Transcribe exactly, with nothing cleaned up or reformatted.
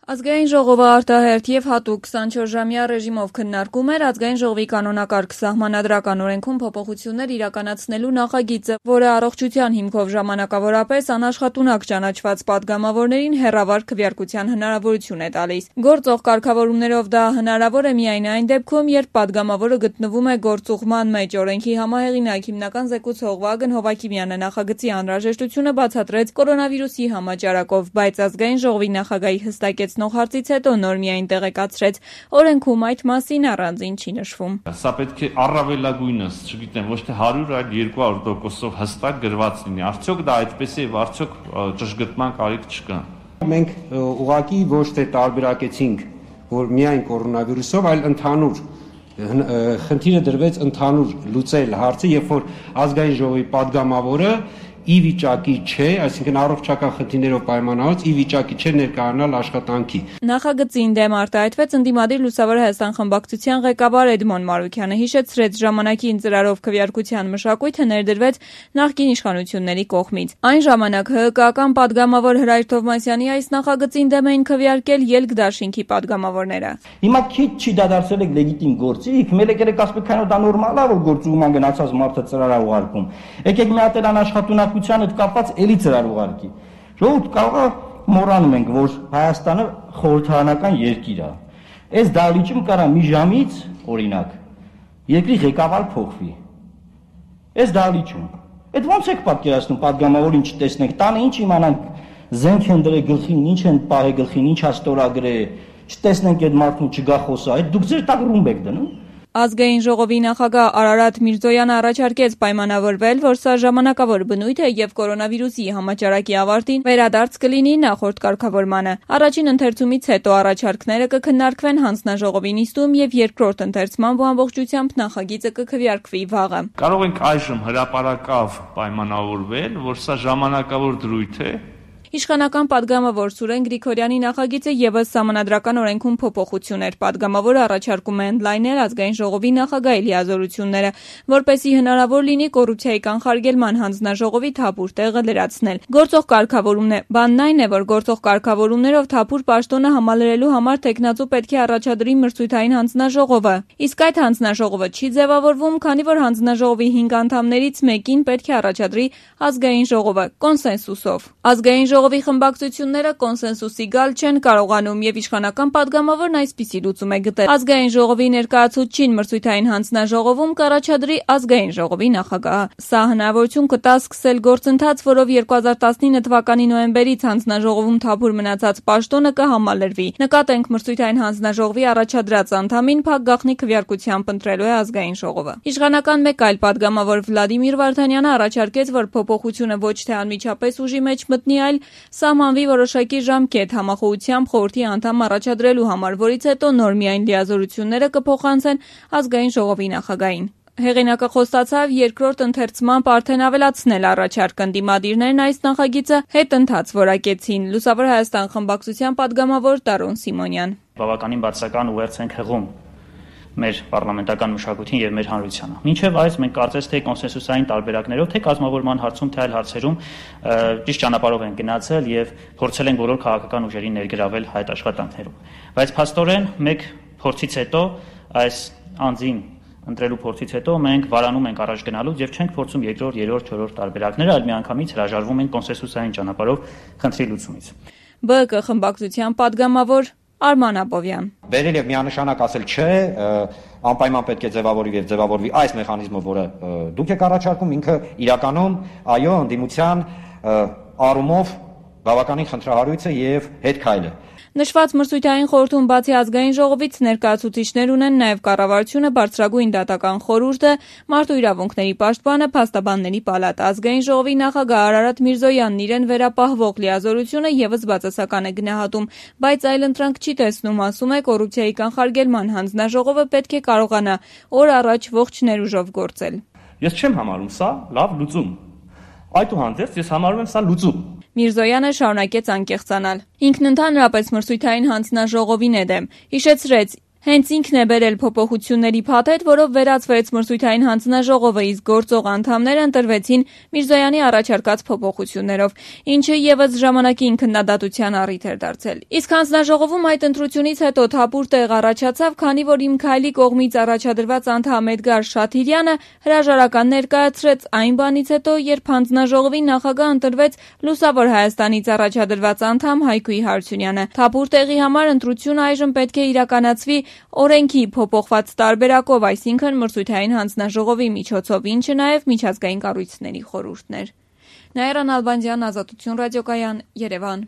Ազգային ժողովը արտահերթ եւ հատուկ քսանչորսժամյա ռեժիմով քննարկում էր Ազգային ժողովի կանոնակարգ սահմանադրական օրենքում փոփոխություններ իրականացնելու նախագիծը, որը առողջության հիմքով ժամանակավորապես անաշխատունակ ճանաչված падգամավորներին հեռավար քվեարկության հնարավորություն է տալիս։ Գործող կարգավորումներով դա հնարավոր է միայն այն դեպքում, երբ падգամավորը գտնվում է գործուղման մեջ։ Օրենքի համահեղինակ հիմնական զեկուցող Վագն Հովակիմյանը նախագծի անհրաժեշտությունը բացատրեց կորոնավիրուսի համաճարակով, բայց Ազգային ժողովի նախագահի հստակեց հարցից հետո նոր միայն տեղեկացրեց, օրենքում այդ մասին առանձին չի նշվում։ Սա պետք է առավելագույնս, չգիտեմ, ոչ թե հարյուր, այլ երկու հարյուր տոկոսով հստակ գրված լինի։ Արդյոք դա այդպես է, արդյոք ճշգրտման կարիք չկա։ Մենք ուղղակի ոչ թե տարբերակեցինք, որ միայն կորոնավիրուսով, այլ ընդհանուր խնդիրը դրվեց ընդհանուր լուծել հարցը, երբ որ Ազգային ժողովի падգամավորը ի վիճակի չէ, այսինքն առողջական խնդիրներով պայմանավորված ի վիճակի չէ ներկայանալ աշխատանքի։ Նախագծին դեմ արտահայտվեց ընդդիմադիր Լուսավոր Հայաստան խմբակցության ղեկավար Էդմոն Մարուքյանը, հիշեցրեց ժամանակին ծրարով քվեարկության մշակույթը ներդրվեց նախկին իշխանությունների կողմից։ Այն ժամանակ ՀՀԿ-ական падգամավոր Հրայր Թովմասյանի այս նախագծին դեմ էին քվեարկել ելք դաշինքի падգամավորները։ Հիմա քիչ չի դադարեցել եք լեգիտիմ գործիք, մեկ եկեք ասեք, քանո դա նորմալ է, որ գործուղման գնացած մարդը ծրար է ուղարկում։ Եկեք մի հատ անաշխատունակ հետ կապված էլի ծրար ուղարկի։ Ժողովուրդ կարող է մոռանում ենք, որ Հայաստանը խորհրդարանական երկիր է։ Այս դահլիճում կարա մի ժամից, օրինակ, երկրի ղեկավար փոխվի։ Այս դահլիճում։ Այդ ո՞նց եք պատկերացնում падգամավորին չտեսնենք, տանը ինչ իմանանք, զենք են դրել գլխին, ինչ են պահել գլխին, ինչ է ստորագրել, չտեսնենք այդ մարդուն չգա խոսա, այդ դուք ձեր տակ ռումբ եք դնում։ Ազգային ժողովի նախագահ Արարատ Միրզոյանը առաջարկեց պայմանավորվել, որ սա ժամանակավոր բնույթ է եւ կորոնավիրուսի համաճարակի ավարտին վերադարձ կլինի նախորդ կարգավորմանը։ Առաջին ընթերցումից հետո առաջարկները կքննարկվեն հանձնաժողովի նիստում եւ երկրորդ ընթերցման ամբողջությամբ նախագիծը կքվեարկվի վաղը։ Կարող ենք այժմ հրապարակավ պայմանավորվել, որ սա ժամանակավոր դրույթ է։ Իշխանական падգամավոր Սուրեն Գրիգորյանի նախագիծը եւս սահմանադրական օրենքում փոփոխություն էր։ Падգամավորը առաջարկում է ընդլայնել Ազգային ժողովի նախագահի լիազորությունները, որպեսզի հնարավոր լինի կոռուպցիայի կանխարգելման հանձնաժողովի թափուր տեղը լրացնել։ Գործող կարգավորումն է։ Բանն այն է, որ գործող կարգավորումներով թափուր պաշտոնը համալրելու համար տեխնացու պետք է առաջադրի մրցույթային հանձնաժողովը։ Իսկ այդ հանձնաժողովը չի ձևավորվում, քանի որ հանձնաժողովի հինգ անդամներից մեկին պետք է առաջադրի Ազգային ժողովը կոնսենսուսով։ Ազգային ժողովի խմբակցությունները կոնսենսուսի գալ չեն կարողանում եւ իշխանական падգամավորն այսպիսի լուծում է գտել։ Ազգային ժողովի ներկայացուցչին մրցույթային հանձնաժողովում կառաջադրի Ազգային ժողովի նախագահը։ Սա հնարավորություն կտա սկսել գործընթաց, որով երկու հազար տասնինը թվականի նոյեմբերից հանձնաժողովում թափուր մնացած պաշտոնը կհամալրվի։ Նկատենք մրցույթային հանձնաժողովի առաջադրած անդամին փակ գաղտնի քվեարկությամբ ընտրելու է Ազգային ժողովը։ Իշխանական մեկ այլ падգամավոր Վլադիմիր Վարդանյանը առաջարկեց, որ փոփոխությունը ոչ թե անմիջապես ուժի մեջ մտնի, այլ սահմանվի որոշակի ժամկետ համախոհությամբ խորհրդի անդամ առաջադրելու համար, որից հետո նոր միայն լիազորությունները կփոխանցեն Ազգային ժողովի նախագահին։ Հեղինակը խոստացավ երկրորդ ընթերցմամբ արդեն ավելացնել առաջարկը։ Ընդդիմադիրներն այս նախագիծը հետընթաց որակեցին։ Լուսավոր Հայաստան խմբակցության падգամավոր Տարոն Սիմոնյան։ Բավականին բացական ուղերձ ենք հղում մեր պարլամենտական մշակույթին եւ մեր հանրությանը։ Մինչեւ այս մենք կարծես թե կոնսենսուսային տարբերակներով, թե կազմավորման հարցում, թե այլ հարցերում ճիշտ ճանապարհով են գնացել եւ փորձել են բոլոր քաղաքական ուժերին ներգրավել այդ աշխատանքներում։ Բայց փաստորեն մեկ փորձից հետո այս անձին ընտրելու փորձից հետո մենք վարանում ենք առաջ գնալուց եւ չենք փորձում երկրորդ, երրորդ, չորրորդ տարբերակները, այլ միանգամից հրաժարվում ենք կոնսենսուսային ճանապարհով խնդրի լուծումից։ ԲԿ խմբակցության падգամավոր Արման Աբովյան։ Վերել եւ միանշանակ ասել չէ, անպայման պետք է ձևավորվի եւ ձևավորվի այս մեխանիզմը, որը դուք եք առաջարկում, ինքը իրականում այո, ընդդիմության առումով բավականին խնդրահարույց է եւ հետքայլ է։ Նշված մրցույթային խորհրդում բացի Ազգային ժողովից ներկայացուցիչներ ունեն նաև կառավարությունը, բարձրագույն դատական խորհուրդը, մարդու իրավունքների պաշտպանը, փաստաբանների պալատը։ Ազգային ժողովի նախագահ Արարատ Միրզոյանն իրեն վերապահվող լիազորությունը եւս բացասական է գնահատում, բայց այլընտրանք չի տեսնում, ասում է, կոռուպցիայի կանխարգելման հանձնաժողովը պետք է կարողանա օր առաջ ողջ ներուժով գործել։ Ես չեմ համարում սա լավ լուծում։ Այդուհանդերձ ես համարում եմ սա լուծում։ Միրզոյանը շարունակեց անկեղծանալ։ Ինքն ընդհանրապես մրցույթային հանձնաժողովին է դեմ։ Հիշեցրեց, Հենց ինքն է բերել փոփոխությունների փաթեթ, որով վերացվեց մրցույթային հանձնաժողովը, իսկ գործող անդամները ընտրվեցին Միրզոյանի առաջարկած փոփոխություններով, ինչը ևս ժամանակին քննադատության առիթ էր դարձել։ Իսկ հանձնաժողովում այդ ընտրությունից հետո թափուր տեղ առաջացավ, քանի որ Իմ Քայլի կողմից առաջադրված անդամ Էդգար Շաթիրյանը հրաժարական ներկայացրեց այն բանից հետո, երբ հանձնաժողովի նախագահ ընտրվեց Լուսավոր Հայաստանից առաջադրված անդամ Հայգույ Հարությունյանը։ Թափուր տեղի համար ընտրությունը այժմ պետք է իրականացվի օրենքի փոփոխված տարբերակով, այսինքն մրցույթային հանձնաժողովի միջոցով, ինչը նաև միջազգային կառույցների խորհուրդն էր։ Նաիրա Նալբանդյան, Ազատություն ռադիոկայան, Երևան։